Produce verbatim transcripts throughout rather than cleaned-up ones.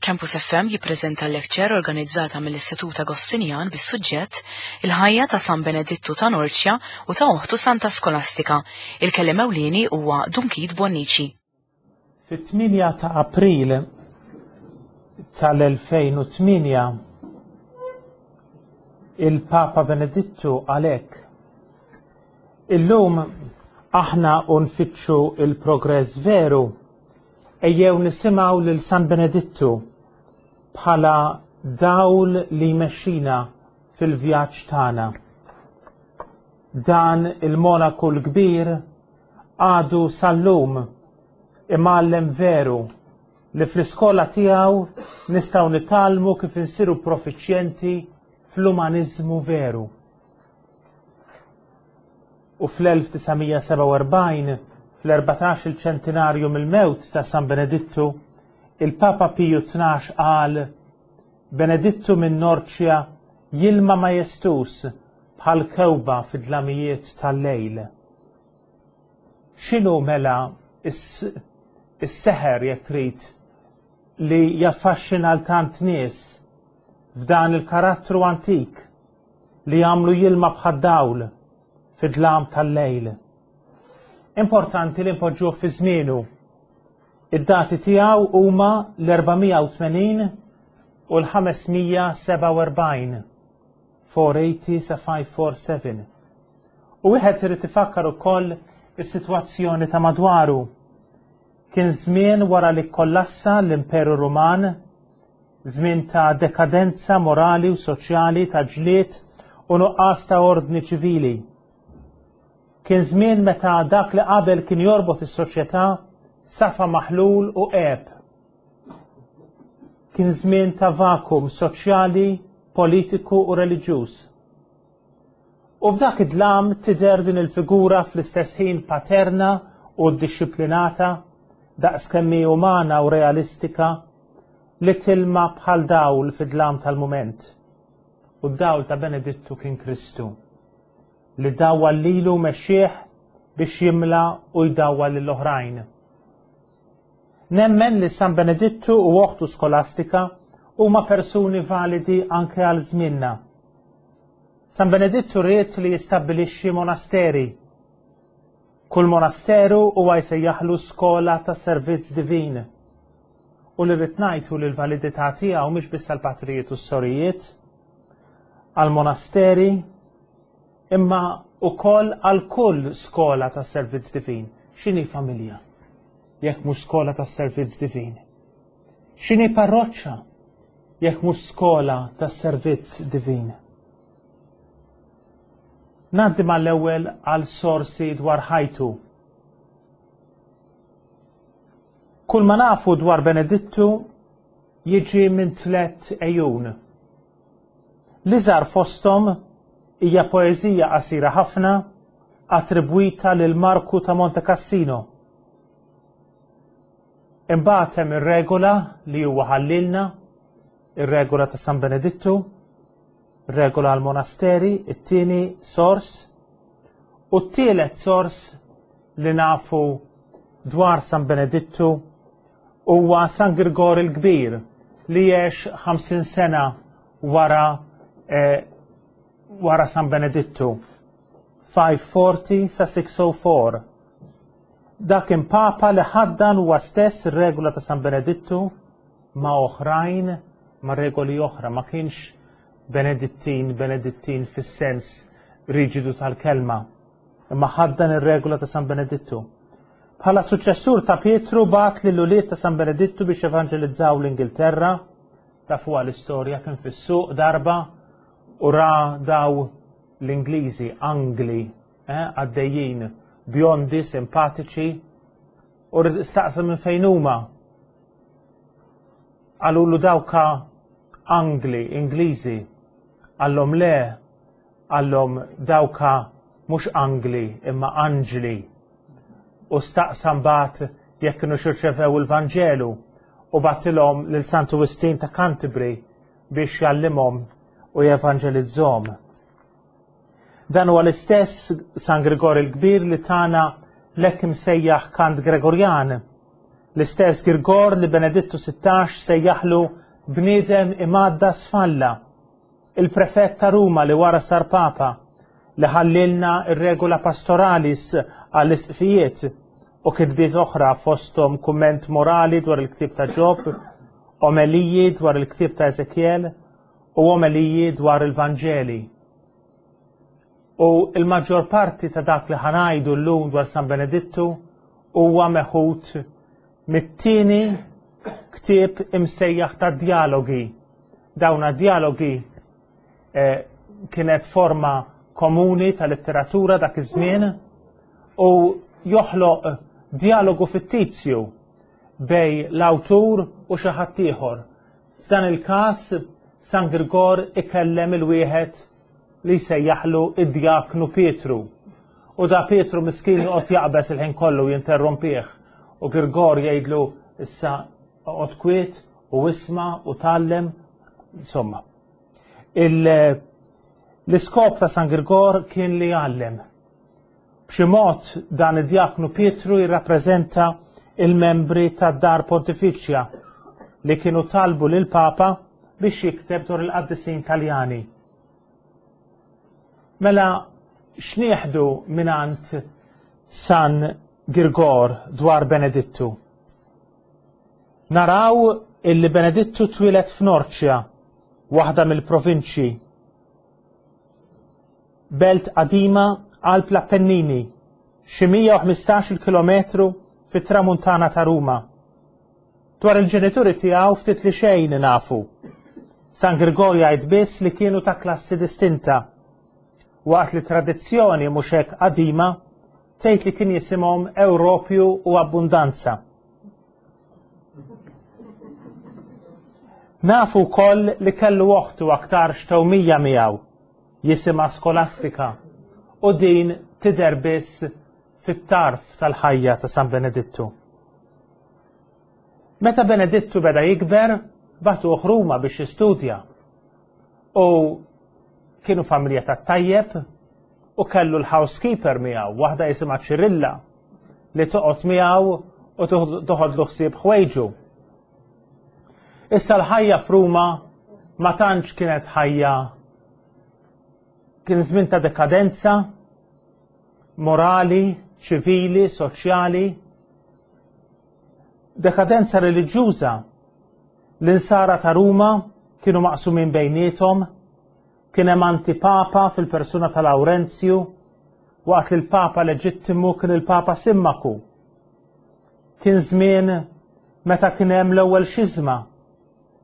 Campus F M jippreżenta l-lecture organizzata mill-Istitut Agostinjan bis-suġġett Il-ħajja ta' San Benedittu ta' Norcia u ta' oħtu Santa Skolastika. Il-kelliem ewlieni huwa Dun Keith Bonnici. Fit-tmienja ta' April tal-elfejn u tmienja il-Papa Benedittu għalhekk. Illum aħna u nfittxu il-progress veru, ejjew nisimgħu lil San Benedittu bħala dawl li jmexxina fil-vjaġġ tagħna. Dan il-monaku l-kbir għadu sal-lum imgħallem veru li fl-iskola tiegħu nistgħu nitgħallmu kif insiru profiċjenti fl-umaniżmu veru. U fl-elf tisa' mija seba' u erbgħin, fl-erbatax il-ċentinarju mill-mewt ta' San Benedittu, il-Papa Piju tnax qal: Benedittu minn Norcia jilma majestus bħal kewba fid-dlamijiet tal-lejl. X'inhu mela is-, is-seħer jekk trid li jaffaxxina l tant nies f'dan il-karattru antik li jagħmlu jilma bħad-dawl fid-dlam tal-lejl? Importanti li npoġġuh fi żmienu. Id-dati tiegħu huma l-erba' mija u tmenin u l-ħames mija seba' u erbgħin, four eighty sa five four seven. U wieħed irid ifakkar ukoll is-sitwazzjoni ta' madwaru. Kien żmien wara li kollassa l-Imperu Ruman, żmien ta' dekadenza morali u soċjali, ta' ġlied u nuqqas ta' ordni ċivili. Kien żmien meta dak li qabel kien jorbot is-soċjetà safa maħlul u għeb. Kien żmien ta' vakum soċjali, politiku u reliġjuż. U f'dak id-dlam tidher din il-figura fl-istess ħin paterna u ddixxiplinata, daqs kemm hi umana u realistika, li tilma bħal dawl fid-dlam tal-mument. U d-dawl ta' Benedittu kien Kristu, li dawwa lilu mexxieħ biex jimla u jdawwa lill-oħrajn. Nemmen li San Benedittu u oħtu Skolastika huma persuni validi anke għal żmienna. San Benedittu ried li jistabbilixxi monasteri. Kull monasteru huwa jsejjaħlu skola ta' servizz divin. U li rrid ngħidu li l-validità tiegħu mhix biss għall-patrijiet u s-sorijiet, għall-monasteri, imma wkoll għal kull skola ta' servizz divin. X'inhi familja jekk mhux skola ta' servizz divin? X'inhi parroċċa jekk mhux skola ta' servizz divin? Ngħaddi mal-ewwel għal sorsi dwar ħajtu. Kull ma nafu dwar Benedittu jiġi minn tliet ejjun. L-iżgħar fosthom hija poeżija qasira ħafna attribwita lil Marku ta' Monte Cassino. Imbagħad hemm ir-regola li huwa ħallilna, ir-regola ta' San Benedittu, regola għal monasteri, it-tieni sors, u t-tielet sors li nafu dwar San Benedittu huwa San Girgor il-Kbir li għex ħamsin sena wara, eh, wara San Benedittu, five forty sa six oh four. Dak kien papa li ħaddan huwa stess ir-regola ta' San Benedittu ma' oħrajn, ma' regoli oħra, ma kienx Benedittin, Benedittin fis-sens riġidu tal-kelma, imma ħaddan ir-regola ta' San Benedittu. Bħala suċċessur ta' Pietru bagħat lil ulied ta' San Benedittu biex evanġelizzaw l-Ingilterra. Tafu l-istorja, kien fis-suq darba u ra daw l-Ingliżi, Angli, eh, għaddejjin, bjondi, simpatiċi, u staqsa minn fejn huma. Qalulu dawka Angli, Ingliżi. Qallhom le, qallhom dawka mhux Angli imma Anġli. U staqsa mbagħad jekk kienu xirċevew il-Vanġelu u bagħtilhom lil Santu Wistin ta' Canterbury biex jgħallimhom u jevanġelizzhom. Dan huwa l-istess San Grigor il-Kbir li tana l-hekk imsejjaħ kant Gregorjan L-istess Girgor li Benedittu sittax sejjaħlu bniedem imgħaddas f'Alla, il-prefett ta' Ruma li wara sar Papa, li ħallilna ir-regola pastoralis għall-isqfijiet u kitbiet oħra fosthom kumment morali dwar il-ktieb ta' Ġob, omeliji dwar il-ktieb ta' Ezekiel u omeliji dwar il-Vanġeli. U il-maġġor parti ta' dak li ħa ngħidu llum dwar San Benedittu huwa meħud mit-tieni ktieb imsejjaħ ta' djalogi. Dawna djalogi eh, kienet forma komuni ta' letteratura dak iż-żmien u joħloq djalogu fittizju bejn l-awtur u xi ħadd ieħor. F'dan il-każ San Girgor ikellem il-wieħed li jsejjaħlu id-djaknu Pietru. U da Pietru miskin joqgħod jaqbeż il-ħin kollu jinterrompih. U Girgor jgħidlu issa oqgħod kwiet u isma' u tgħallem, insomma. L-iskop ta' San Girgor kien li jgħallem. B'xi mod dan id-djaknu Pietru jirrappreżenta il-membri tad-Dar Pontifiċja li kienu talbu lil Papa biex jikteb dwar il-qaddisin Taljani. Mela x'nieħdu mingħand San Girgor dwar Benedittu? Naraw illi Benedittu twieled f'Norċja, waħda mill-provinċji, belt qadima qalb l-Appennini, xi mija u ħmistax-il kilometru fit-tramuntana ta' Ruma. Dwar il-ġenituri tiegħu ftit li xejn nafu. San Girgor jgħid biss li kienu ta' klassi distinta, waqt li tradizzjoni mhux hekk qadima tgħid li kien jisimhom Ewropju u Abbundanza. Nafu wkoll li kellu oħtu aktar xtewmija miegħu, jisimha Skolastika, u din tidher biss fit-tarf tal-ħajja ta' San Benedittu. Meta Benedittu beda jikber, bagħtuh Ruma biex jistudja. U kienu familja tat-tajjeb u kellu l-housekeeper miegħu, waħda jisimha Ċirilla, li toqgħod miegħu u toħodlu ħsieb ħwejġu. Issa l-ħajja f'Ruma ma tantx kienet ħajja, kien żmien ta' dekadenza morali, ċivili, soċjali, dekadenza reliġjuża. L-insara ta' Ruma kienu maqsumin bejniethom, kien hemm antipapa fil-persuna ta' Laurenzju, waqt li l-Papa leġittimu kien il-Papa Simmaku. Kien żmien meta kien hemm l-ewwel xiżma,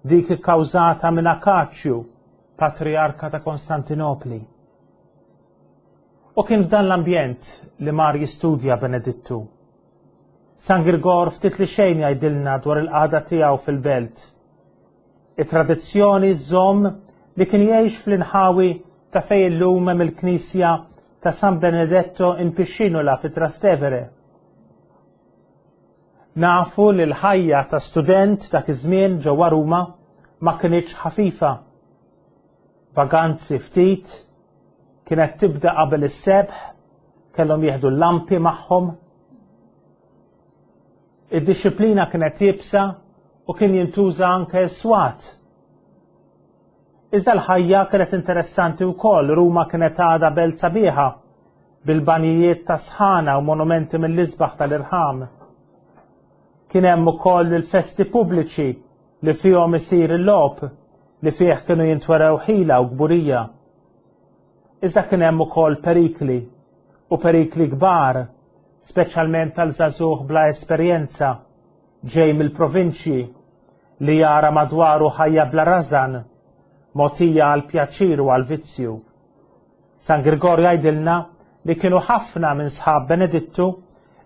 dik ikkawżata minn Akaċju, patriarka ta' Konstantinopli. U kien f'dan l-ambjent li mar jistudja Benedittu. San Girgor ftit li xejn jgħidilna dwar il-qagħda tiegħu fil-belt. It-tradizzjoni żomm li kien jgħix fl-inħawi ta' fejn illum hemm il-knisja ta' San Benedetto in Piscinola fi Trastevere. Nafu li l-ħajja ta' student dak iż-żmien ġewwa Ruma ma kinitx ħafifa. Vaganzi ftit, kienet tibda qabel is-sebħ, kellhom jieħdu l-lampi magħhom. Id-disciplina kienet iebsa u kien jintuża anke s-swat. Iżda l-ħajja kienet interessanti wkoll, Ruma kienet għadha belt sabiħa bil-banijiet ta' sħana u monumenti mill-isbaħ tal-irħam. Kien hemm ukoll il-festi pubbliċi li fihom isir il-logħob li fih kienu jintwerew ħila u kburija. Iżda kien hemm ukoll perikli u perikli kbar, speċjalment tal-żagħżugħ bla esperjenza ġej mill-provinċji li jara madwaru ħajja bla rażan, mogħtija għal pjaċir u għal vizzju. San Girgor jgħidilna li kienu ħafna minn sħab Benedittu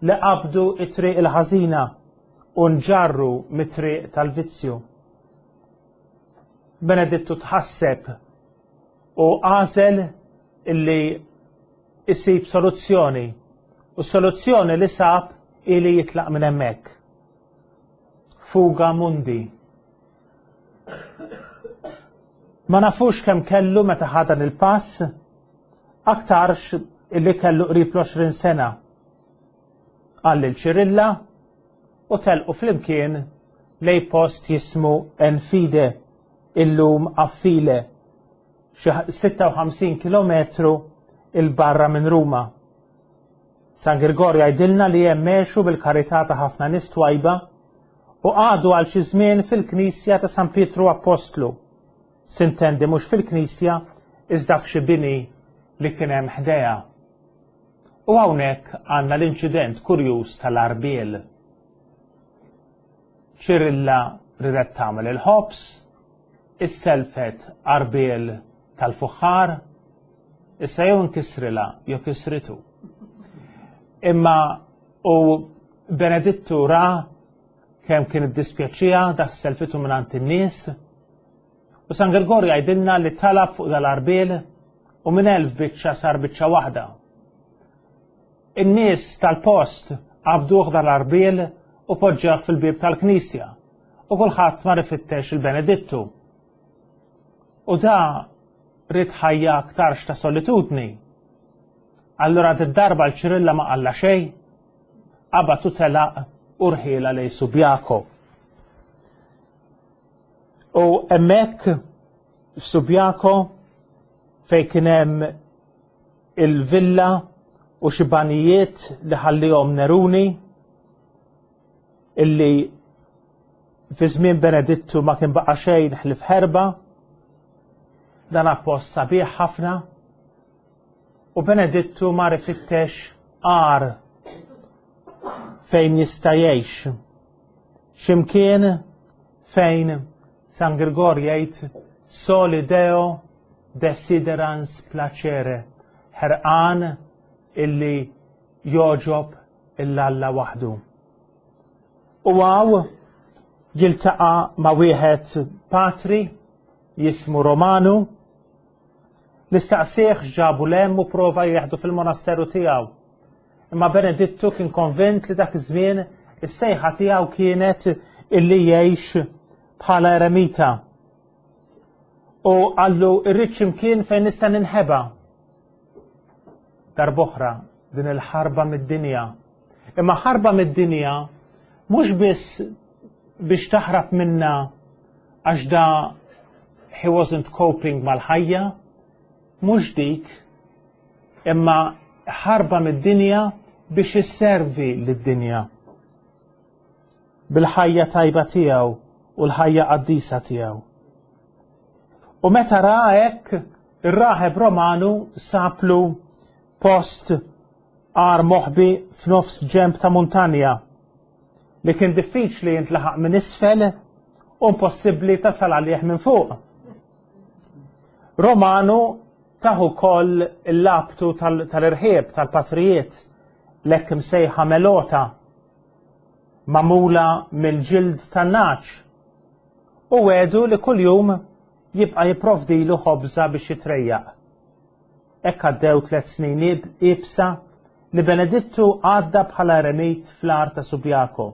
li qabdu it-triq il-ħażina u nġarru mit-triq tal-vizzju. Benedittu tħasseb u għażel illi isib soluzzjoni, u s-soluzzjoni li sab ili jitlaq minn hemmhekk. Fuga mundi. Ma nafux kemm kellu meta ħa dan il-pass, aktarx illi kellu qrib l-għoxrin sena. Qal lil Ċirilla u telqu flimkien lej post jismu Enfide, illum Affile, xi sitta u ħamsin kilometru il-barra minn Ruma. San Girgor jgħidilna li hemm mexu bil-karità ta' ħafna nies twajba u qagħdu għal xi żmien fil-Knisja ta' San Pietru Apostlu. Sintendi mhux fil-Knisja iżda f'xi bini li kien hemm ħdejha. U hawnhekk għandna l-inċident kurjuż tal-arbiel. Ċirilla ridet tagħmel il-ħobż, isselfet arbiel tal-fuħħar, issa jew nkisrilha jew kisritu. Imma u Benedittu ra kemm kien iddispjaċija dak selfitu mingħand in-nies. U San Girgor jgħidilna li talab fuq dal-arbiel u minn elf biċċa sar biċċa waħda. In-nies tal-post qabduh dal-arbiel u poġġew fil-bieb tal-knisja u kulħadd mar ifittex il-Benedittu. U da ried ħajja aktarx ta' solitudni. Allura d-darba l-Ċirilla ma qalla xejn, qabad u telaq u rħiela lej Subjako. U hemmhekk f'Subjako fejn kien hemm il-villa u xi banijiet li ħallihom Neruni illi fi żmien Benedittu ma kien baqa' xejn ħlief ħerba, dan post sabiħ ħafna, u Benedittu mar ifittex għar fejn jista' jgħix. X'imkien fejn San Girgor jgħid soli Deo desiderans placere, ħerqan illi joġob il-Alla waħdu. U għaw jiltaqa' ma' wieħed patri jismu Romanu li staqsih ġabu lem u prova jieħdu fil-monasteru tiegħu. Imma Benedittu kien konvint li dak iż-żmien is-sejħa tiegħu kienet illi jgħix bħala eremita. U qallu irrid x'imkien fejn nista' ninħeba. Darb'oħra din il-ħarba mid-dinja. Imma ħarba mid-dinja mhux biss biex taħrab minna għax da he wasn't coping mal-ħajja, mhux dik, imma ħarba mid-dinja biex isservi lid-dinja bil-ħajja tajba tiegħu u l-ħajja qaddisa tiegħu. U meta ra hekk, ir-raħeb Romanu saplu post għar moħbi f'nofs ġemp ta' muntanja li kien diffiċli jintlaħaq minn isfel u impossibbli tasal għalih minn fuq. Romanu taħu koll il-labtu tal-irħieb, tal-patrijiet, l-hekk imsejħa melota, mamula mill-ġild tan-naċ, u għedu li kuljum jibqa' jipprovdilu ħobża biex jitrejjaq. Hekk għaddew tliet snin iebsa li Benedittu għadda bħala eremit fl-għar ta' Subjako.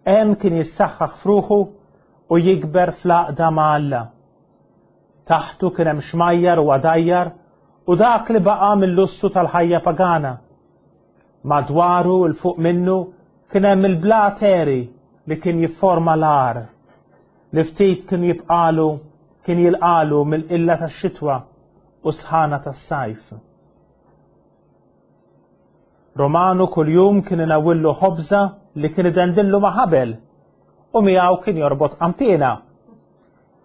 Hemm kien jissaħħaħ fruħu u jikber fl-għaqda ma' Alla. Taħtu kien hemm xmajjar u għadajjar u dak li baqa' mill-lussu tal-ħajja pagana. Madwaru il fuq minnu kien hemm il-blateri li kien jifforma l-għar, li ftit kien jibqalu kien jilqalu mill-qilla tax-xitwa u sħana tas-sajf. Romanu kuljum kien inawillu ħobża li kien idendillu ma' ħabel u miegħu kien jorbot qanpiena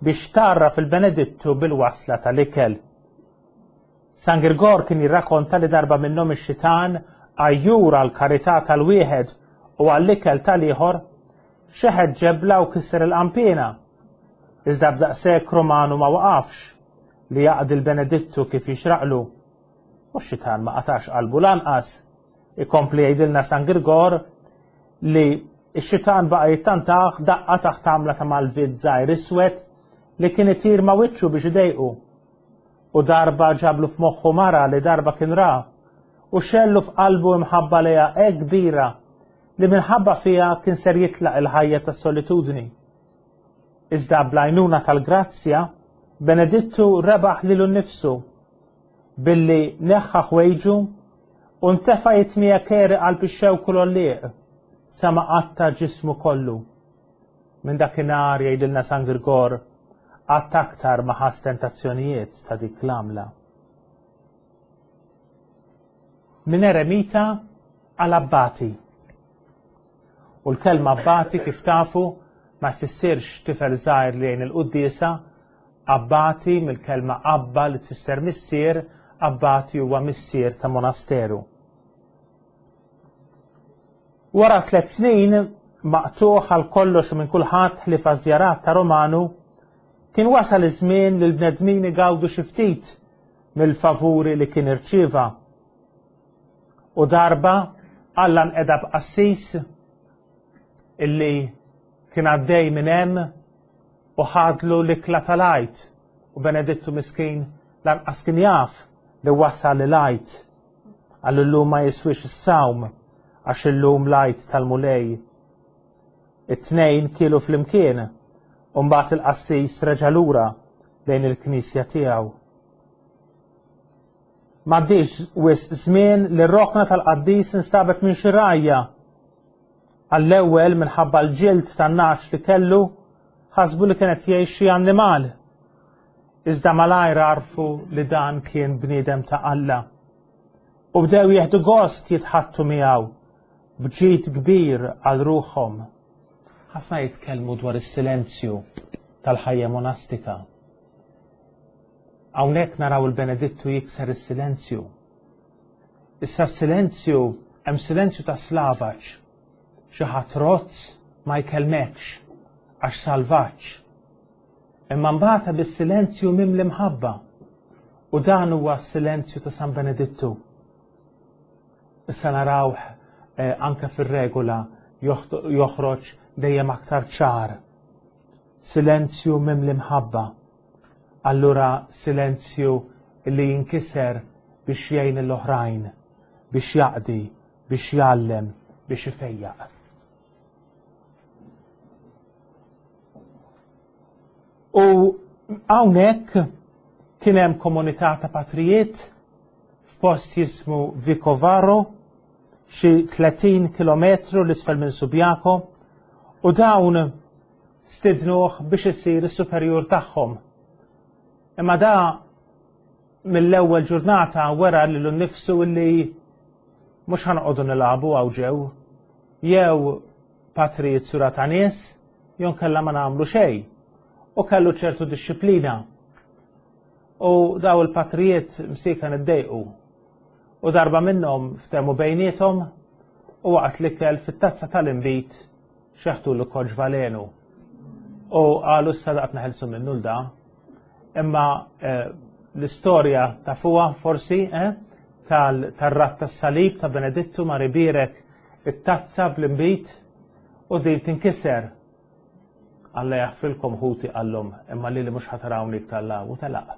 biex tarraf il-Benedittu bil-wasla tal-ikel. San Girgor kien jirrakkonta li darba minnhom ix-xitan għajjur għall-karità tal-wieħed u għall-ikel tal-ieħor xeħet ġebla u kisser il-qanpiena. Iżda b'daqshekk Romanu ma waqafx li jaqdi l-Benedittu kif jixraqlu. U x-xitan ma qatax qalbu lanqas. Ikompli jgħidilna San Girgor li x-xitan baqa' jittantaħ daqqa taħt għamla ta' malvid żgħir iswed li kien itir ma' wiċċu biex idejqu. U darba ġablu f'moħħu mara li darba kien ra u xellu f'qalbu imħabba lejha hekk kbira li minħabba fiha kien ser jitlaq il-ħajja tas-solitudni. Iżda bl-għajnuna tal-grazzja, Benedittu rebaħ lilu nnifsu billi neħħa ħwejġu u ntefa' jitmija keri qalb ix-xewk u l-għollieq sa ma qatta' ġismu kollu. Minn dakinhar, jgħidilna San Girgor, qatt aktar ma ħass tentazzjonijiet ta' dik l-għamla. Minn eremita għal abbati. U l-kelma abbati, kif tafu, ma jfissirx tifel żgħir li jgħin il-quddiesa. Abbati mill-kelma abba li tfisser missier, abbati huwa missier ta' monasteru. Wara tliet snin maqtuħ għal kollox minn kulħadd ħlief żjarat ta' Romanu, kien wasal iż-żmien li l-bnedmin igawdu xi ftit mill-favuri li kien irċieva. U darba Alla nqeda b'qassis illi kien għaddej minn hemm u ħadlu l-ikla tal-Għid, u Benedittu miskin lanqas kien jaf li wasal l-Għid. Għallu llum ma jiswix is-sawm għax illum l-Għid tal-Mulej. It-tnejn kielu flimkien u mbagħad il-qassis reġa' lura lejn il-knisja tiegħu. M'għaddiex wisq żmien li r-rokna tal-qaddis instabet minn xi rgħajja. Għall-ewwel, minħabba l-ġild tan-nagħaġ li kellu, ħasbu li kienet jgħix xi annimal. Iżda malajr għarfu li dan kien bniedem ta' Alla. U bdew jieħdu gost jitħaddtu miegħu b'ġid kbir għal ruħhom. Ħafna jitkellmu dwar is-silenzju tal-ħajja monastika. Hawnhekk naraw il-Benedittu jikser is-silenzju. Issa s-silenzju, hemm silenzju ta' slavaġ. Xi ħadd rozz ma jkellmekx għax salvaġġ. Imma mbagħad bis-silenzju mimli mħabba. U dan huwa s-silenzju ta' San Benedittu. Issa narawh eh, anke fir-regola joħroġ dejjem aktar ċar. Silenzju mimli mħabba. Allura silenzju li jinkiser biex jgħin l-oħrajn, biex jaqdi, biex jgħallem, biex ifejjaq. U hawnhekk kien hemm komunità ta' patrijiet f'post jismu Vicovaro, xi tletin kilometru l-isfel minn Subiaco, u dawn stidnuh biex isir is-superjur tagħhom. Imma da mill-ewwel ġurnata wera lilu nnifsu li mhux ħanqogħdu nilagħbu hawn ġew, jew patrijiet sura ta' nies, jew kellha ma nagħmlu xejn. U kellu ċertu dixxiplina. U daw il-patrijiet msika niddejqu. U darba minnhom ftehmu bejniethom u waqt l-ikel fit-tazza tal-inbid xeħtu l koġ valenu. U qalu issa daqt neħelsu minnu l-da. Imma eh, l-istorja ta' fuqa forsi eh, tal-rat tas-salib ta' Benedittu ma ribirek it-tazza bl-inbid u din tinkiser. Alla jaħfrilkom ħuti qallhom, imma lili mhux ħatarawni iktar la u telaq.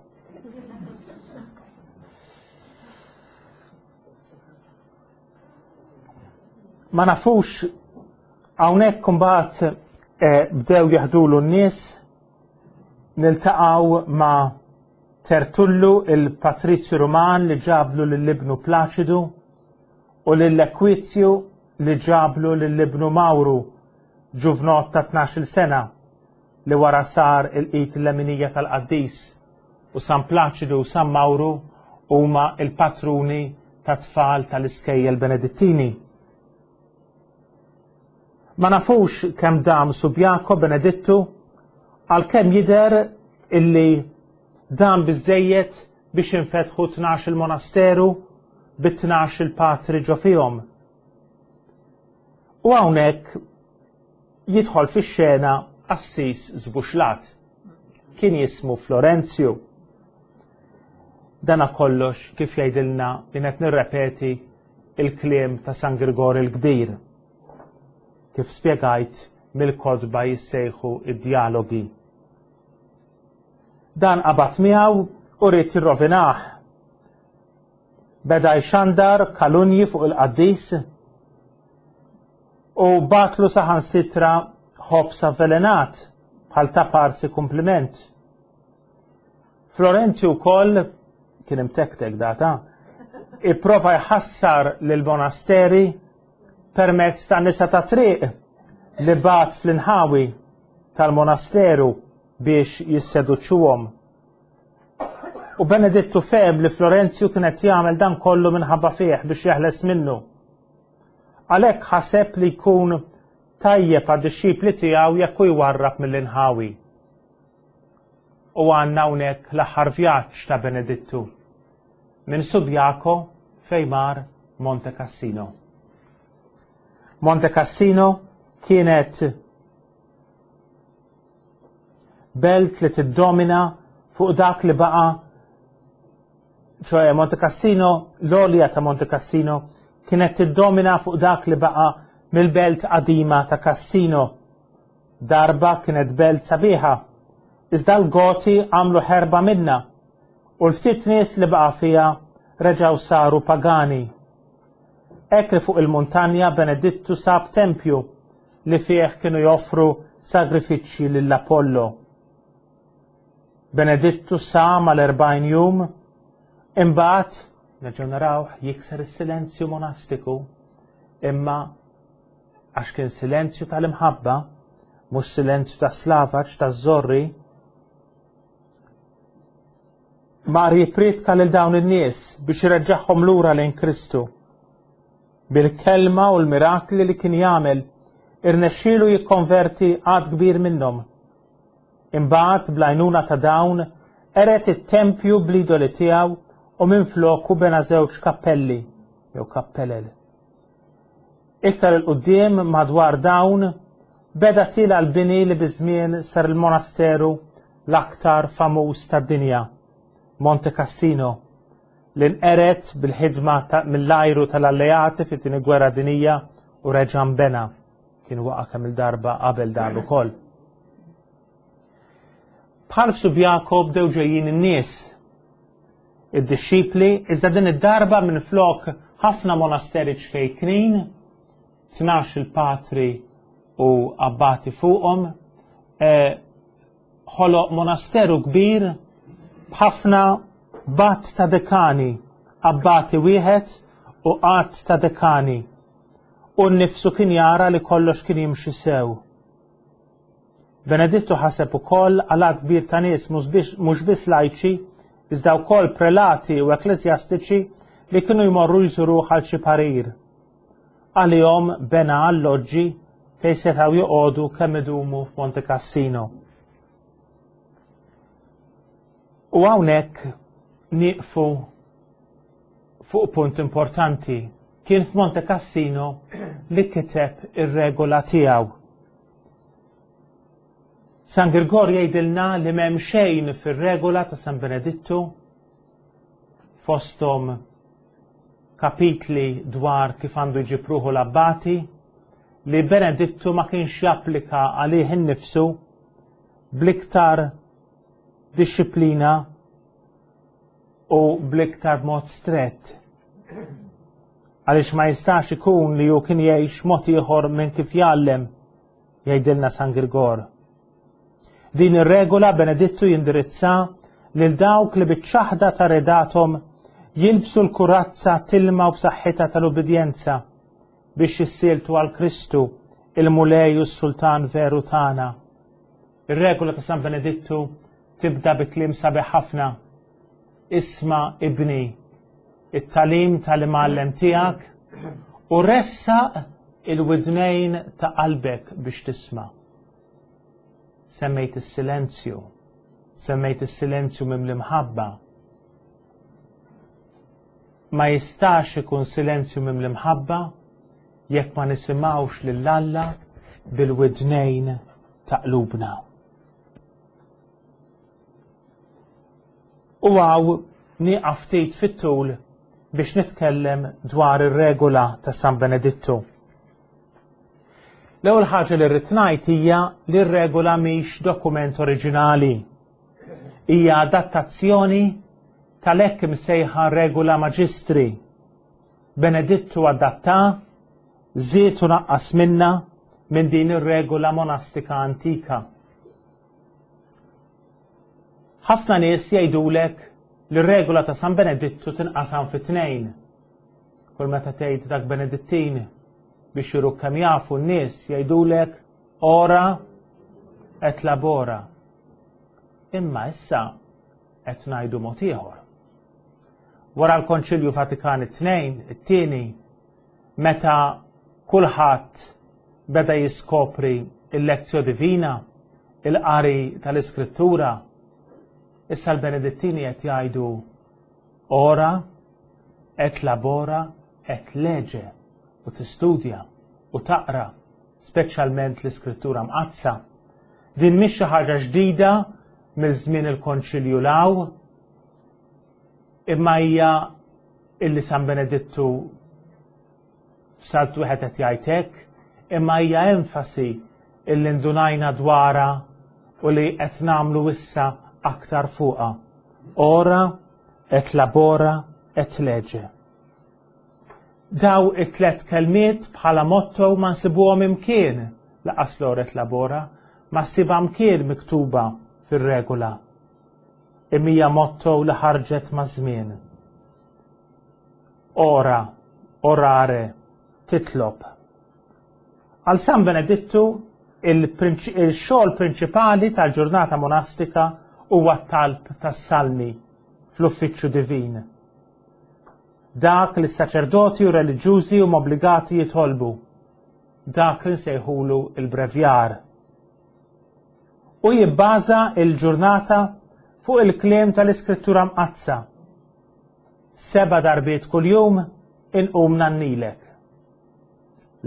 Ma nafux hawnhekk imbagħad eh, bdew jaħdulu n-nies. Niltaqgħu ma' Tertullu il-Patrizju Ruman li ġablu lill-ibnu Plaċidu u lill-Ekwizju li ġablu lill-ibnu Mawru, ġuvnot ta' tnax-il sena li wara sar il-qit l-leminija tal-qaddis, u San Plaċidu u San Mawru huma il-patruni ta' tfal tal-iskejjel Benedittini. Ma nafux kemm dam Subiaco Benedittu, għalkemm jidher illi dan biżejjed biex infetħu tnax il-monasteru bi tnax il-patri ġo fihom. U hawnhekk jidħol fix-xena qassis żbuxlat. Kien jismu Florenzju. Dana kollox kif jgħidilna li qed nirrepeti il-kliem ta' San Girgor il-Kbir. Kif spjegajt mill-kotba jissejħu id-dialogi. Dan qabad miegħu u ried jirrovinah. Beda jxandar kalunji fuq il-qaddis u batlu saħansitra ħobs avvelenat bħal ta' parsi kumpliment. Florenzju wkoll kien imtektek data, ipprova jħassar lil monasteri permezz ta' nisa ta' triq li bagħat fl-inħawi tal-monasteru biex jisseduċuhom. U Benedittu fehem li Florenzju kien qed jagħmel dan kollu minħabba fih biex jeħles minnu. Għalhekk ħaseb li jkun tajjeb għad-dixxipli tiegħu jekk hu jwarrab mill-inħawi. U għandna hawnhekk l-aħħar vjaġġ ta' Benedittu minn Subiaco fejn mar Monte Cassino. Monte Cassino kienet belt li tiddomina fuq dak li baqa, ċoè Monte Cassino, l-għolja ta' Monte Cassino kienet tiddomina fuq dak li baqa mill-belt qadima ta' Cassino. Darba kienet belt sabiħa, iżda l-Goti għamlu ħerba minna u l-ftit nies li baqa fiha reġgħu saru pagani. Hekk li fuq il-muntanja Benedittu sab tempju li fih kienu joffru sagrifiċċji lill-Apollo. Benedittu sam għal erbgħin jum, imbagħad nerġgħu narawh jikser is-silenzju monastiku, imma għax kien silenzju tal-imħabba, mhux silenzju ta' slavaġ ta' żorri, mar jippriedka lil dawn in-nies biex ireġġagħhom lura lejn Kristu. Bil-kelma u l-mirakli li kien jagħmel, irnexxielu jikkonverti għadd kbir minnhom. Imbagħad bl-għajnuna ta' dawn qered it-tempju bl-idoli tiegħu u minfloku bena żewġ kappelli jew kappelel. Iktar il-qudiem madwar dawn beda tiela l-bini li biż-żmien sar il-monasteru l-aktar famuż tad-dinja, Monte Cassino, li nqered bil-ħidma mill-ajru tal-alleati fit-tieni gwerra dinija u reġa' nbena. Kien waqa' kemm il-darba qabel dan ukoll. Bħal f'Subiaco bdew ġejjin in-nies, id-dixxipli, iżda din id-darba minflok ħafna monasteri ċkejknin, tnax il-patri u abbati fuqhom, ħoloq monasteru kbir b'ħafna bat ta' dekani, abbati wieħed u qatt ta' dekani. U nnifsu kien jara li kollox kien jimxi sew. Benedittu ħaseb ukoll għal għadd kbir ta' nies mhux biss lajċi, iżda wkoll prelati u ekkleżjastiċi li kienu jmorru jżuruh għal xi parir. Għalihom bena alloġġi fejn setgħu joqogħdu kemm idumu f'Monte Cassino. U hawnhekk nieqfu fuq punt importanti. Kien f'Monte Cassino li kiteb ir-regola tiegħu. San Girgor jgħidilna li m'hemm xejn fir-regola ta' San Benedittu, fosthom kapitli dwar kif għandu jġib ruħu l-abbati, li Benedittu ma kienx japplika għalih innifsu bl-iktar disċiplina u bl-iktar mod strett. Għaliex ma jistax ikun li hu kien jgħix mod ieħor minn kif jgħallem, jgħidilna San Girgor. Din ir-regola Benedittu jindirizza lil dawk li biċ-ċaħda ta' redathom jilbsu l-kurazza tilma u b'saħħitha tal-ubbidjenza biex jissieltu għal Kristu, il-Mulej u s-Sultan veru tagħna. Ir-regola ta' San Benedittu tibda bi kliem sabiħ ħafna. Isma' ibni, it-tagħlim tal-imgħallem tiegħek u ressaq il-widnejn ta' qalbek biex tisma'. Semmejt is-silenzju, semmejt is-silenzju mimli mħabba. Ma jistax ikun silenzju mimli mħabba jekk ma nisimgħux lil Alla bil-widnejn ta' qlubna. U għaw nieqaf ftit fit-tul biex nitkellem dwar ir-regola ta' San Benedittu. L-ewwel ħaġa li rrid ngħid hija li r-regola mhix dokument oriġinali. Hija adattazzjoni tal-hekk imsejħa regola maġistri. Benedittu adatta, żied u naqqas minna minn din ir-regola monastika antika. Ħafna nies jgħidulek li r-regola ta' San Benedittu tinqasam fi tnejn. Kull meta tgħid dak Benedittin, Biex juru kemm jafu n-nies jgħidulek "ora et labora". Imma issa qed ngħidu mod ieħor. Wara l-Konċilju Vatikan it-tnejn, it-tieni, meta kulħadd beda jiskopri il-Lectio Divina, il-qari tal-Iskrittura, issa l-Benedittini qed jgħidu "ora et labora et lege" u tistudja u taqra, speċjalment l-Iskrittura Mqaddsa. Din mhix xi ħaġa ġdida mill-żmien il-Konċilju 'l hawn, imma hija illi San Benedittu f'salt wieħed qed jgħid hekk, imma hija enfasi illi ndunajna dwarha u li qed nagħmlu issa aktar fuqha. "Ora et labora et lege". Daw it-tlet kelmiet bħala motto ma nsibuhom imkien, lanqas l-"ora et labora", ma ssibha mkien miktuba fir-regola. Imma hija motto li ħarġet ma' żmien. Ora, orare, titlob. Għal San Benedittu il-xogħol prinċipali tal-ġurnata monastika huwa t-talb tas-salmi fl-uffiċċju divin. Dak li s-saċerdoti u reliġjużi huma obbligati jitolbu. Dak li nsejħulu il-brevjar. U jibbaża il-ġurnata fuq il-kliem tal-Iskrittura Mqaddsa. Seba' darbiet kuljum inqum ngħannilek.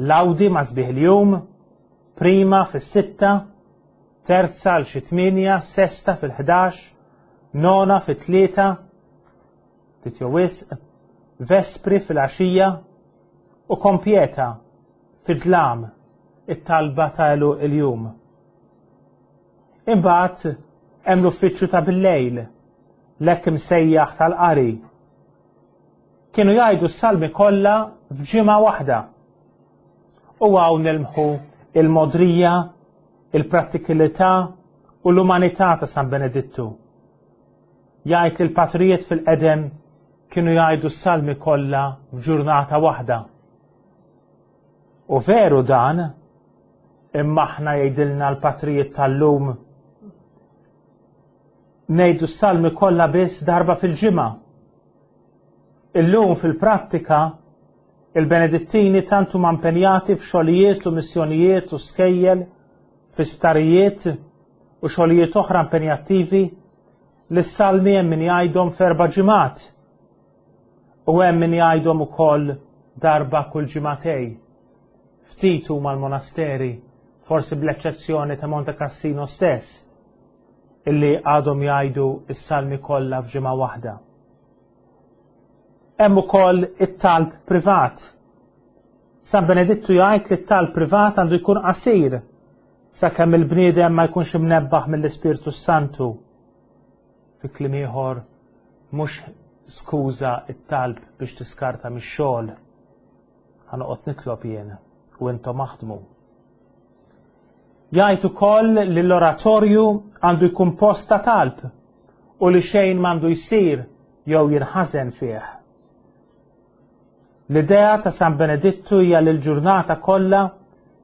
Lawdi ma' sbieħ il-jum, prima fis-sitta, terza għal xi tmienja, sesta fil-ħdax, nona fit-tlieta, ftit jew wisq, vespri fil-għaxija u kompieta fid-dlam, it-talba ta' il-jum. Imbagħad hemm l-uffiċċju ta' bil-lejl, l-hekk imsejjaħ tal-qari. Kienu jgħidu s-salmi kollha f'ġimgħa waħda. U hawn nilmħu il-modrija, il-prattikalità u l-umanità ta' San Benedittu. Jgħid li l-patrijiet fil-qedem kienu jgħidu s-salmi kollha f'ġurnata waħda. U veru dan, imma aħna, jgħidilna l-patrijiet tal-lum, ngħidu s-salmi kollha biss darba fil-ġimgħa. Illum fil-prattika il-Benedittini tant huma impenjati f'xogħlijiet u missjonijiet u skejjel, fi sptarijiet u xogħlijiet oħra impenjattivi li s-salmi hemm min jgħidhom f'erba' ġimgħat u hemm min jgħidhom ukoll darba kull ġimagħtejn. Ftit huma l-monasteri, forsi bl-eċċezzjoni ta' Monte Cassino stess, illi għadhom jgħidu s-salmi kollha f'ġimgħa waħda. Hemm ukoll it-talb privat. San Benedittu jgħid li t-talb privat għandu jkun qasir sakemm il-bniedem ma jkunx imnebbaħ mill-Ispirtu Santu. Fi kliem ieħor, mhux skuża it-talb biex tiskarta mix-xogħol. "Ħa noqgħod nitlob jien u intom aħdmu." Jgħid ukoll li l-oratorju għandu jkun post ta' talb u li xejn m'għandu jsir jew jinħażen fih. L-idea ta' San Benedittu hija li l-ġurnata kollha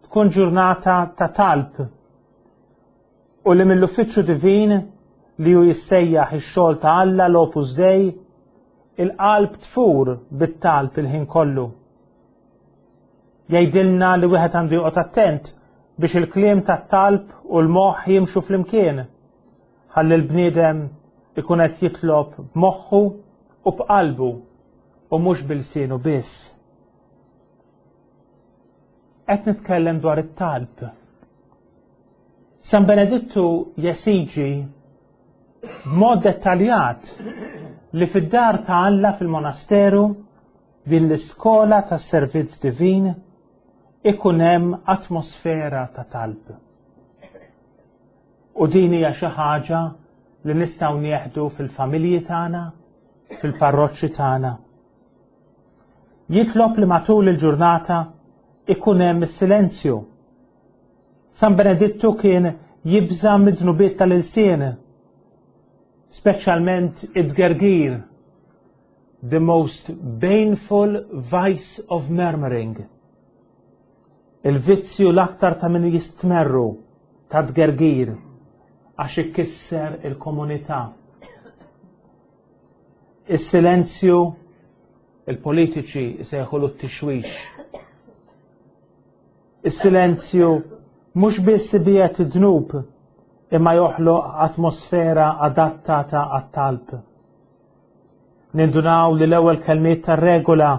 tkun ġurnata ta' talb u li mill-uffiċċju divin, li hu jissejjaħ ix-xogħol ta' Alla, l-Opus Dei, il-qalb tfur bit-talb il-ħin kollu. Jgħidilna li wieħed għandu joqgħod attent biex il-kliem tat-talb u l-moħħ jimxu flimkien. Ħalli l-bniedem ikun qed jitlob b'moħħu u b'qalbu u mhux b'ilsienu biss. Qed nitkellem dwar it-talb. San Benedittu jesiġi b'mod dettaljat li fid-dar ta' Alla, fil-monasteru, din l-iskola tas servizz divin, ikun hemm atmosfera ta' talb. U din hija xi ħaġa li nistgħu nieħdu fil-familji tagħna, fil-parroċċi tagħna. Jitlob li matul il-ġurnata ikun hemm is-silenzju. San Benedittu kien jibża mid-dnubiet tal-ilsien, speċjalment id-gergir, the most baneful vice of murmuring. Il-vizzju l-aktar ta' min jistmerru ta' tgergir għax ikisser il-komunità. Is-silenzju il-politiċi jsejħulu t-tixwix. Is-silenzju mhux biss ibiegħed id-dnub imma joħloq atmosfera adattata għat-talb. Nindunaw li l-ewwel kelmiet tar-regola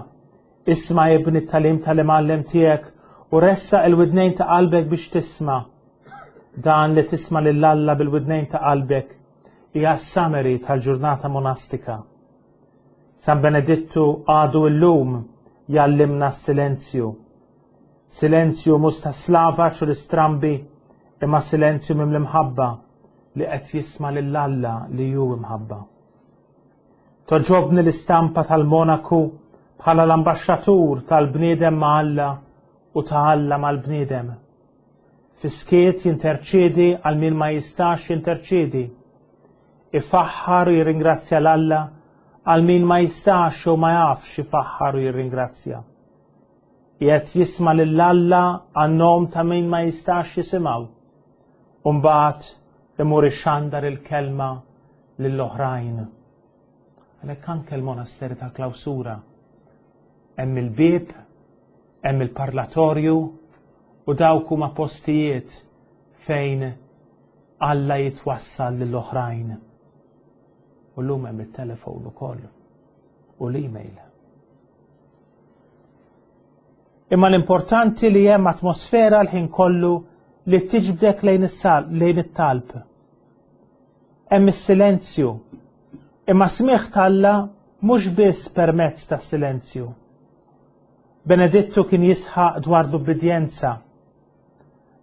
isma' ibni t-tagħlim tal-imgħallem tiegħek u ressaq il-widnejn ta' qalbek biex tisma'. Dan li tisma' lil Alla bil-widnejn ta' qalbek hija s-summary tal-ġurnata monastika. San Benedittu għadu illum jgħallimna s-silenzju. Silenzju mhux ta' slavaġ u l-istrambi imma silenzju mimli mħabba li qed jisma' lil Alla li hu imħabba. Togħġobni l-istampa tal-Monaku bħala l-ambaxxatur tal-bniedem ma' Alla u ta' Alla mal-bniedem. Fis-skiet jinterċedi għal min ma jistax jinterċedi. Ifaħħar u jirringrazzja 'l Alla għal min ma jistax u ma jafx ifaħħar u jirringrazzja. Qiegħed jisma' lil Alla għan-nom ta' min ma jistax jisimgħu. U mbagħad imur ixandar il-kelma lill-oħrajn. Għalhekk anke l-monasteri ta' klawsura hemm il-bieb, hemm il-parlatorju u dawk huma postijiet fejn Alla jitwassal lill-oħrajn. U llum hemm it-telefon ukoll u l-email. Imma l-importanti li hemm atmosfera l-ħin kollu li tiġbdek lejn lejn it-talb. Hemm is-silenzju. Imma smigħ t'Alla mhux biss permezz tas-silenzju. Benedittu kien jisħaq dwar l-ubbidjenza.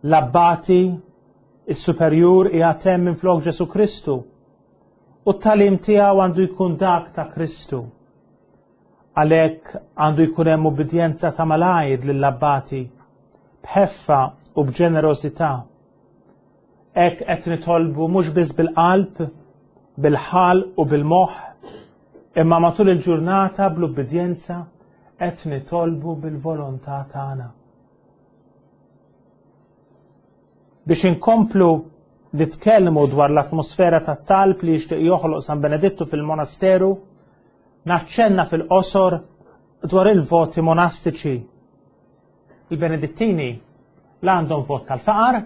L-abbati, is-superjur qiegħed hemm minflok Ġesu Kristu u t-tagħlim tiegħu għandu jkun dak ta' Kristu. Għalhekk għandu jkun hemm ubbidjenza ta' malajr lill-abbati b'ħeffa u b'ġenerożità. Hekk qed nitolbu mhux biss bil-qalb, bil-ħalq u bil-moħħ, imma matul il-ġurnata bl-ubbidjenza qed nitolbu bil-volontà tagħna. Biex inkomplu nitkellmu dwar l-atmosfera tat-talb li jixtieq joħloq San Benedittu fil-monasteru, naċċenna fil-qosor dwar il-voti monastiċi. Il-Benedittini la għandhom vot tal-faqar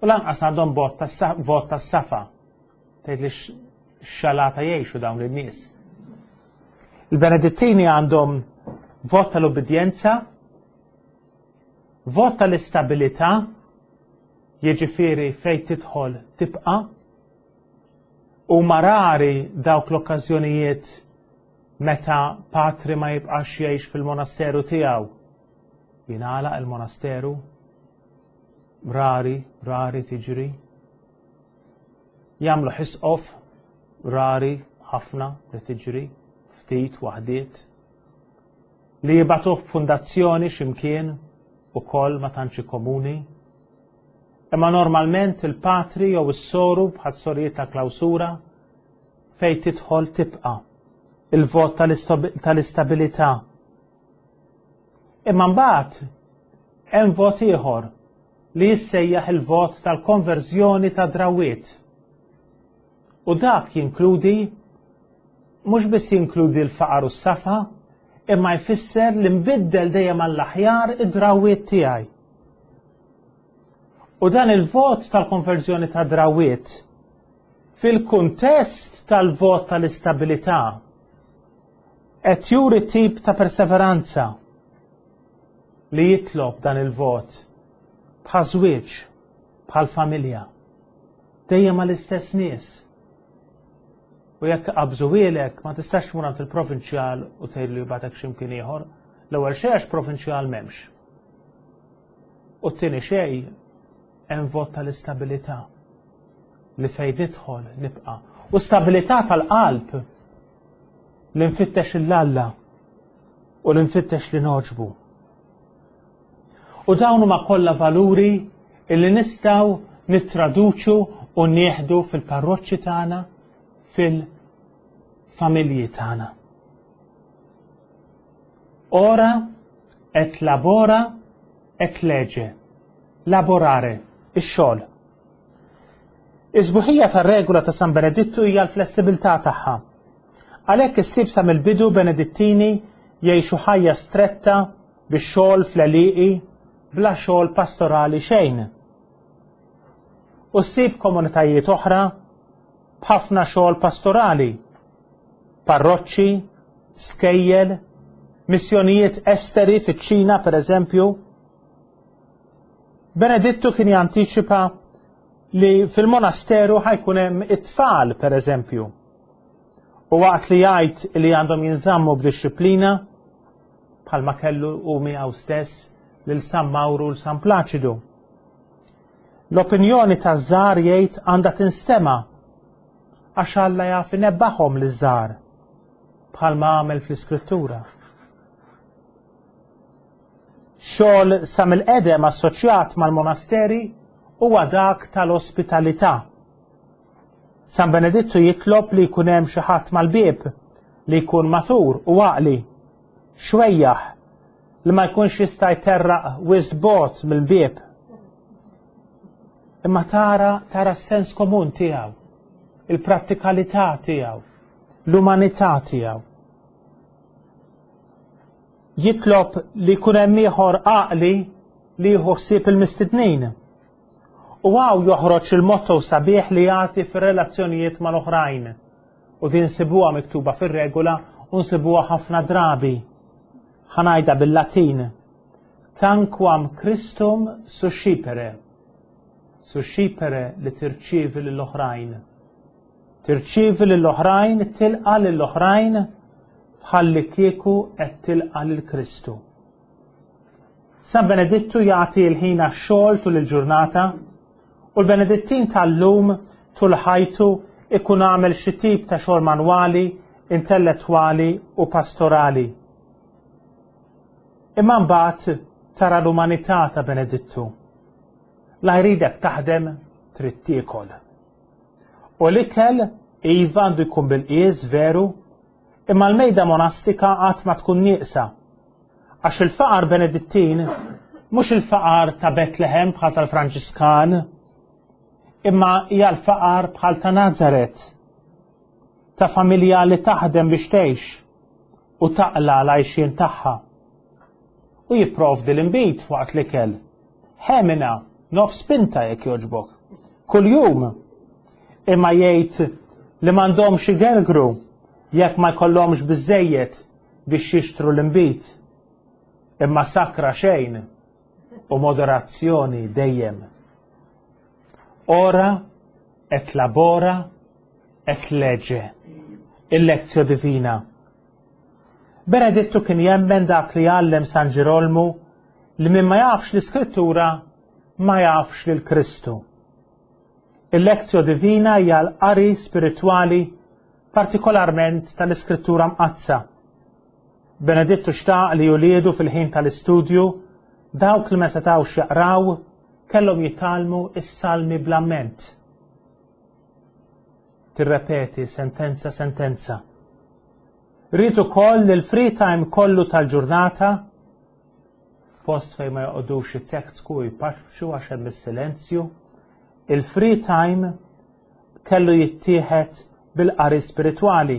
u lanqas għandhom vot tas-safa. Tgħid li xalata jgħixu dawn in-nies. Il-Benedittini għandhom vot tal-ubbidjenza, vot tal-istabilità, jiġifieri fejn tidħol tibqa', u marari dawk l-okkażjonijiet meta patri ma jibqax jgħix fil-monasteru tiegħu. Jingħalaq il-monasteru, rari, rari tiġri. Jagħmlu ħisqof, rari ħafna li tiġri, ftit waħdiet. Li jibatuh b'fundazzjoni x'imkien ukoll ma tantx komuni. Imma normalment il-patri jew is-soru bħal sorijiet ta' klawsura fejn tidħol tibqa' il-vot tal-istabilità. Imma mbagħad hemm vot ieħor li jissejjaħ il-vot tal-konverżjoni ta' drawiet. U dak jinkludi mhux biss jinkludi l-faqar u s-safa, imma jfisser li nbiddel dejjem għall-aħjar id-drawiet tiegħi. U dan il-vot tal-konverżjoni ta' drawiet fil-kuntest tal-vot tal-istabilità qed juri tip ta' perseveranza li jitlob dan il-vot bħal żwieġ, bħal familja, dejjem mal-istess nies. U jekk qabżuhielek ma tistax tmur għand il-provinċjal u tgħidlu jibgħatek x'imkien ieħor. L-ewwel xejn għax provinċjal m'hemmx. U t-tieni xejn hemm vot tal-istabilità li fejn nidħol nibqa'. U stabilità tal-qalb li nfittex il-Alla u li nfittex li noġbu. U dawn huma kollha valuri illi nistgħu nittraduċu u nieħdu fil-parroċċi tagħna, fil-familji tagħna. Ora et labora et lege. Laborare, ix-xogħol. Is-sbuħija tar-regola ta' San Benedittu hija l-flessibilità tagħha. Għalhekk issib sa mill-bidu Benedittini jgħixu ħajja stretta bix-xogħol fl-għelieqi bla xogħol pastorali xejn. U ssib komunitajiet oħra b'ħafna xogħol pastorali, parroċċi, skejjel, missjonijiet esteri fiċ-Ċina pereżempju. Benedittu kien jantiċipa li fil-monasteru ħa jkun hemm it-tfal pereżempju. U waqt li jgħid li għandhom jinżammu b'dixxiplina, bħalma kellu u miegħu stess lil San Mawru u San Plaċidu. L-opinjoni taż-żgħar jgħid għandha tinstema' għax Alla jaf inebbaħhom liż-żgħar bħalma għamel fl-Iskrittura. Xogħol sa mill-qedem assoċjat mal-monasteri huwa dak tal-ospitalità. San Benedittu jitlob li jkun hemm xi ħadd mal-bieb li jkun matur u għaqli, xwejjaħ li ma jkunx jista' jterraq wisq bogħod mill-bieb. Imma tara tara s-sens komun tiegħu, il-prattikalità tiegħu, l-umanità tiegħu. Jitlob li jkun hemm ieħor għaqli li jieħu ħsieb il-mistednin. U hawn joħroġ il-motto sabiħ li jagħti fir-relazzjonijiet mal-oħrajn. U din nsibuha miktuba fir-regola u nsibuha ħafna drabi. Ħa ngħidha bil-Latin. Tanquam Christum suscipere. Suscipere li tirċievi lill-oħrajn. Tirċievi lill-oħrajn, tilqa' lill-oħrajn bħalli kieku qed tilqa' lil Kristu. San Benedittu jagħti l-ħin għax-xogħol tul il-ġurnata u l-Benedittin tal-lum tul ħajtu ikun għamel xi tip ta' xogħol manwali, intellettwali u pastorali. Imma mbagħad tara l-umanità ta' Benedittu. La jridek taħdem trid tiekol. U l-ikel iva għandu jkun bil-qies veru, imma l-mejda monastika qatt ma tkun nieqsa. Għax il-faqar Benedittin mhux il-faqar ta' Betlehem bħal tal-Franġiskan, imma hija l-faqar bħal ta' Nazaret, ta' familja li taħdem biex tgħix u taqla l-għajxien tagħha. U jipprovdi l-inbid waqt l-ikel. Ħemina, nofs pinta jekk jogħġbok. Kuljum imma jgħid li m'għandhomx igergru jekk ma jkollhomx biżejjed biex jixtru l-inbid. Imma sakra xejn u moderazzjoni dejjem. Ora et labora et lege. Il-lectio divina. Benedittu kien jemmen dak li għallem San Ġirolmu li min ma jafx l-Iskrittura ma jafx lil Kristu. Il-lectio divina hija l-qari spiritwali partikolarment tal-Iskrittura Mqaddsa. Benedittu xtaq li uliedu fil-ħin tal-istudju dawk li ma setgħux jaqraw kellhom jitgħallmu is-salmi bl-amment. Tirrepeti sentenza sentenza. Ried ukoll li l-free time kollu tal-ġurnata post fejn ma joqogħdux jitseksku u jpaxxu għax hemm is-silenzju, il-free time kellu jittieħed bil-qari spiritwali.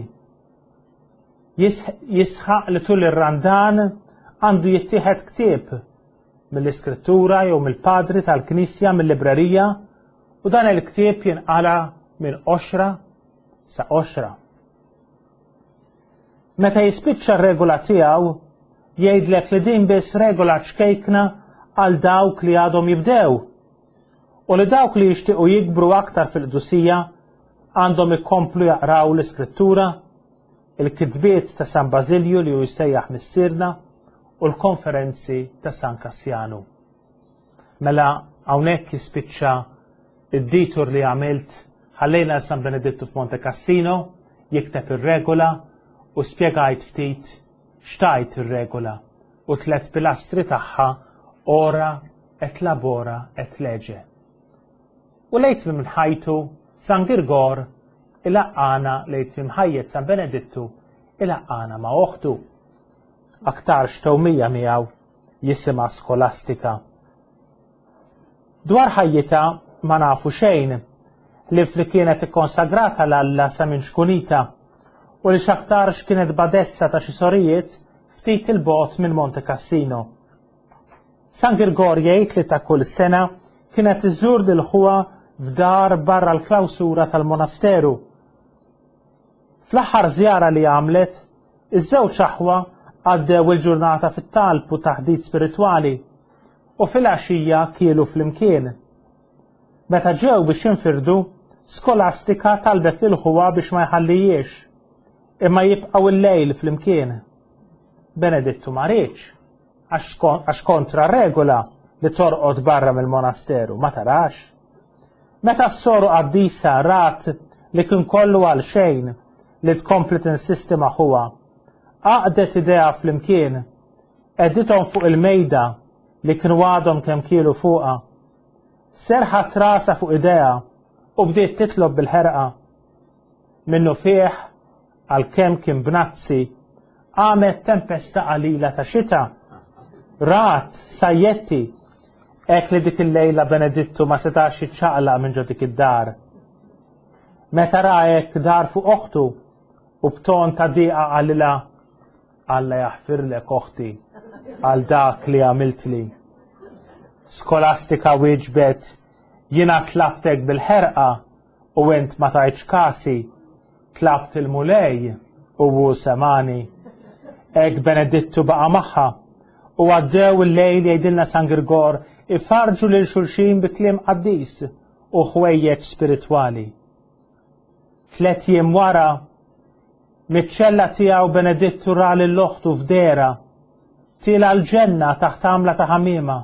Jisħaq li tul ir-Randan għandu jittieħed ktieb mill-Iskrittura jew mill-padri tal-Knisja mill-librerija u dan il-ktieb jinqala minn qoxra sa qoxra. Meta jispiċċa r-regola tiegħu, jgħidlek li din biss regola ċkejkna għal dawk li għadhom jibdew u li dawk li jixtiequ jikbru aktar fil-qdusija għandhom ikomplu jaqraw l-Iskrittura, il-kitbiet ta' San Bażilju li hu jsejjaħ missierna u l-konferenzi ta' San Kassjanu. Mela hawnhekk jispiċċa id-detour li għamilt ħallejna San Benedittu f'Monte Cassino jikteb ir-regola u spjegajt ftit x'tgħid ir-regola u tliet pilastri tagħha ora et labora et lege. U lejn tmiem ħajtu San Girgor ilaqqagħna lejn tmiem ħajjet San Benedittu ilaqqagħna ma' oħtu. Aktarx tewmija miegħu jisimha Skolastika. Dwar ħajjitha ma nafu xejn, ħlief li kienet ikkonsagrata 'l Alla sa minn ċkunitha u li x'aktarx kienet badessa ta' xi sorijiet ftit 'il bogħod minn Monte Cassino. San Girgor jgħid li ta' kull sena kienet iżżur lil ħuha f'dar barra l-klawsura tal-monasteru. Fl-aħħar żjara li għamlet, iż-żewġ aħwa għaddew il-ġurnata fit-talb u taħdit spiritwali u fil-għaxija kielu flimkien. Meta ġew biex jinfirdu, Skolastika talbet lil ħuha biex ma jħallijiex, imma jibqgħu il-lejl flimkien. Benedittu ma riedx, għax kontra regola li torqod barra mill-monasteru, ma tarax. Meta s-soru qaddisa rat li kien kollu għal xejn li tkompli tinsisti ma' ħuha, għaqdet idejha flimkien, qegħdithom fuq il-mejda li kienu għadhom kemm kielu fuqha. Serħat rasha fuq idejha u bdiet titlob bil-ħerqa. Minnu fih, għalkemm kien bnazzi, qamet tempesta qalila ta' xita. Rat, sajjetti, hekk li dik il-lejla Benedittu ma setax jiċċaqlaq minn ġo dik id-dar. Meta ra hekk dar fuq oħtu u b'ton ta' diqa qalilha, Alla jaħfirlek oħti għal dak li għamiltli. Skolastika wieġbet, jiena tlabtek bil-ħerqa u int ma tajtx kasi, tlabt il-Mulej u hu semani. Hekk Benedittu baqa' magħha u għaddew il-lejl jgħidilna San Girgor ifarġu lil xulxin bi kliem qaddis u ħwejjeġ spiritwali. Tliet jiem wara, miċ-ċella tiegħu Benedittu ra lil oħtu f'dehra, tiela' l-ġenna taħt għamla ta' ħamiema,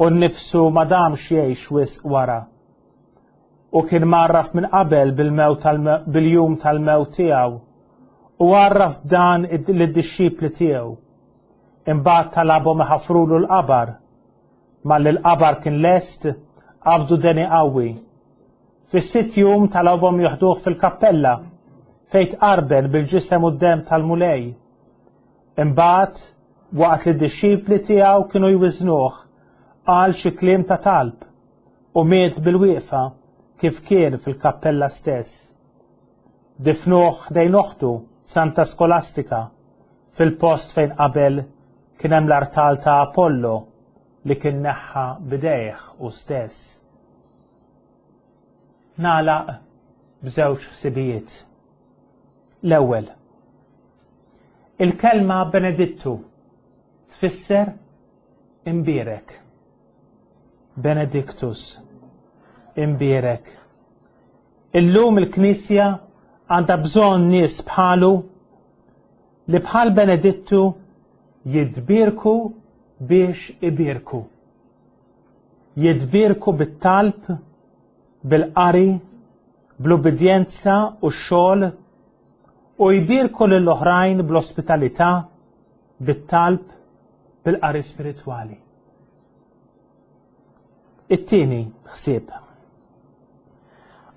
u nnifsu ma damx jgħix wisq wara. U kien mgħarraf minn qabel bil-mewt bil-jum tal-mewt tiegħu, u għarraf b'dan lid-dixxipli tiegħu. Imbagħad talabhom iħaffrulu l-qabar. Malli l-qabar kien lest, qabdu deni qawwi. Fis-sitt jum talabhom joħduh fil-kappella fejn tqarben bil-ġisem u d-demm tal-Mulej. Imbagħad, waqt li d-dixxipli tiegħu kienu jwiżnuh, qal xi kliem ta' talb u miet bil-wieqfa kif kien fil-kappella stess. Difnuh ħdejn oħtu, Santa Skolastika, fil-post fejn qabel kien hemm l-artal ta' Apollo li kien neħħa b'idejh hu stess. Nagħlaq b'żewġ ħsibijiet. L-ewwel, il-kelma Benedittu tfisser imbierek. Benedictus, imbierek. Illum il-Knisja għandha bżonn nies bħalu li bħal Benedittu jitbierku biex ibierku. Jitbierku bit-talb, bil-qari, bl-ubbidjenza u x-xogħol, u jbierku lill-oħrajn bl-ospitalità, bit-talb, bil-qari spiritwali. It-tieni ħsieb.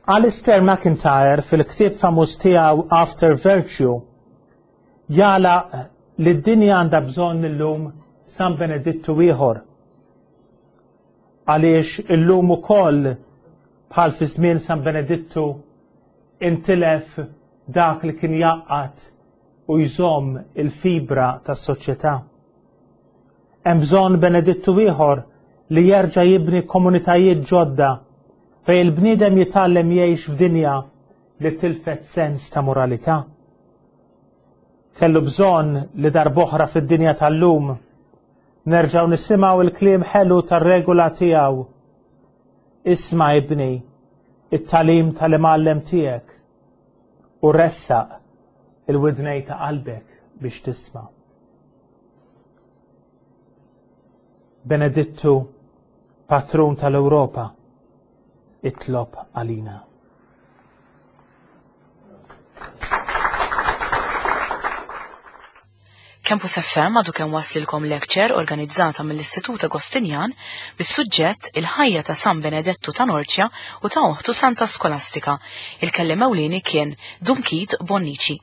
Alistair McIntyre fil-ktieb famuż tiegħu After Virtue jagħlaq li d-dinja għandha bżonn illum San Benedittu ieħor. Għaliex illum ukoll bħal fi żmien San Benedittu intilef dak li kien jgħaqqad u jżomm il-fibra tas-soċjetà. Hemm bżonn Benedittu ieħor li jerġa' jibni komunitajiet ġodda fejn il-bniedem jitgħallem jgħix f'dinja li tilfet sens ta' moralità. Kellu bżonn li darb'oħra fid-dinja tal-lum nerġgħu nisimgħu il-kliem ħelu tar-regola tiegħu. Isma' ibni, it-tagħlim tal-imgħallem tiegħek u ressaq il-widnej ta' qalbek biex tisma'. Benedittu, patrun tal-Ewropa, itlob għalina. Campus F M għadu kemm waslilkom lecture organizzata mill-Istitut Agostinjan bis-suġġett Il-ħajja ta' San Benedettu ta' Norcia u ta' oħtu Santa Skolastika. Il-kelliem ewlieni kien Dun Keith Bonnici.